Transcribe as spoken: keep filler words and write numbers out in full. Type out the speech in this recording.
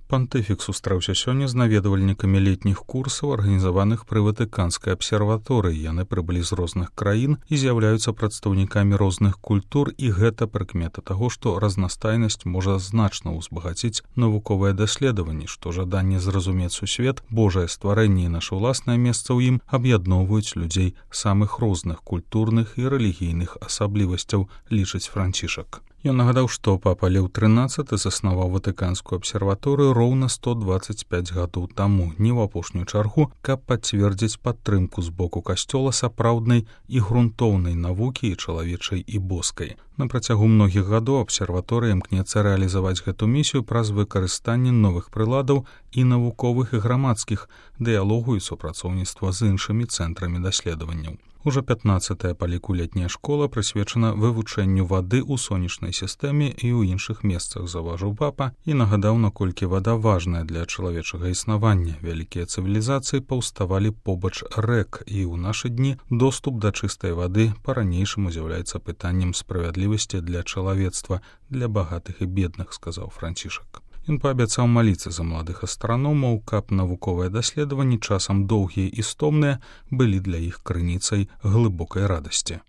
Пантыфік сустрэўся сёння з наведвальнікамі летніх курсаў, арганізаваных пры Ватыканскай абсерваторыі. Яны прыбылі з розных краін і з'яўляюцца прадстаўнікамі розных культур, і гэта прыкмета таго, што разнастайнасць можа значна ўзбагаціць навуковыя даследаванні, што жаданне зразумець сусвет, Божае стварэнне і наша ўласнае месца ў ім аб'ядноўваюць людзей самых розных культурных і рэлігійных асаблівасцяў, лічыць Францішак. Ён нагадаў, што папа Леў трынаццаты заснаваў Ватыканскую абсерваторыю роўна сто дваццаць пяць гадоў таму, не ў апошнюю чаргу, каб пацвердзіць падтрымку з боку касцёла сапраўднай і грунтоўнай навукі і чалавечай і боскай. На працягу многіх гадоў абсерваторыя імкнецца рэалізаваць гэту місію праз выкарыстанне новых прыладаў і навуковых і грамадскіх, дыялогу і супрацоўніцтва з іншымі цэнтрамі даследаванняў. Ужо пятнаццатая па ліку летняя школа прысвечана вывучэнню вады ў сонечнай сістэме і ў іншых месцах, заўважыў папа, і нагадаў, наколькі вада важная для чалавечага існавання. Вялікія цывілізацыі паўставалі побач рэк, і ў нашы дні доступ да чыстай вады па-ранейшаму з'яўляецца пытаннем справядлівасці для чалавецтва, для багатых і бедных, сказаў Францішак. Ён паабяцаў маліцца за маладых астраномаў, каб навуковыя даследаванні, часам доўгія і стомныя, былі для іх крыніцай глыбокай радасці.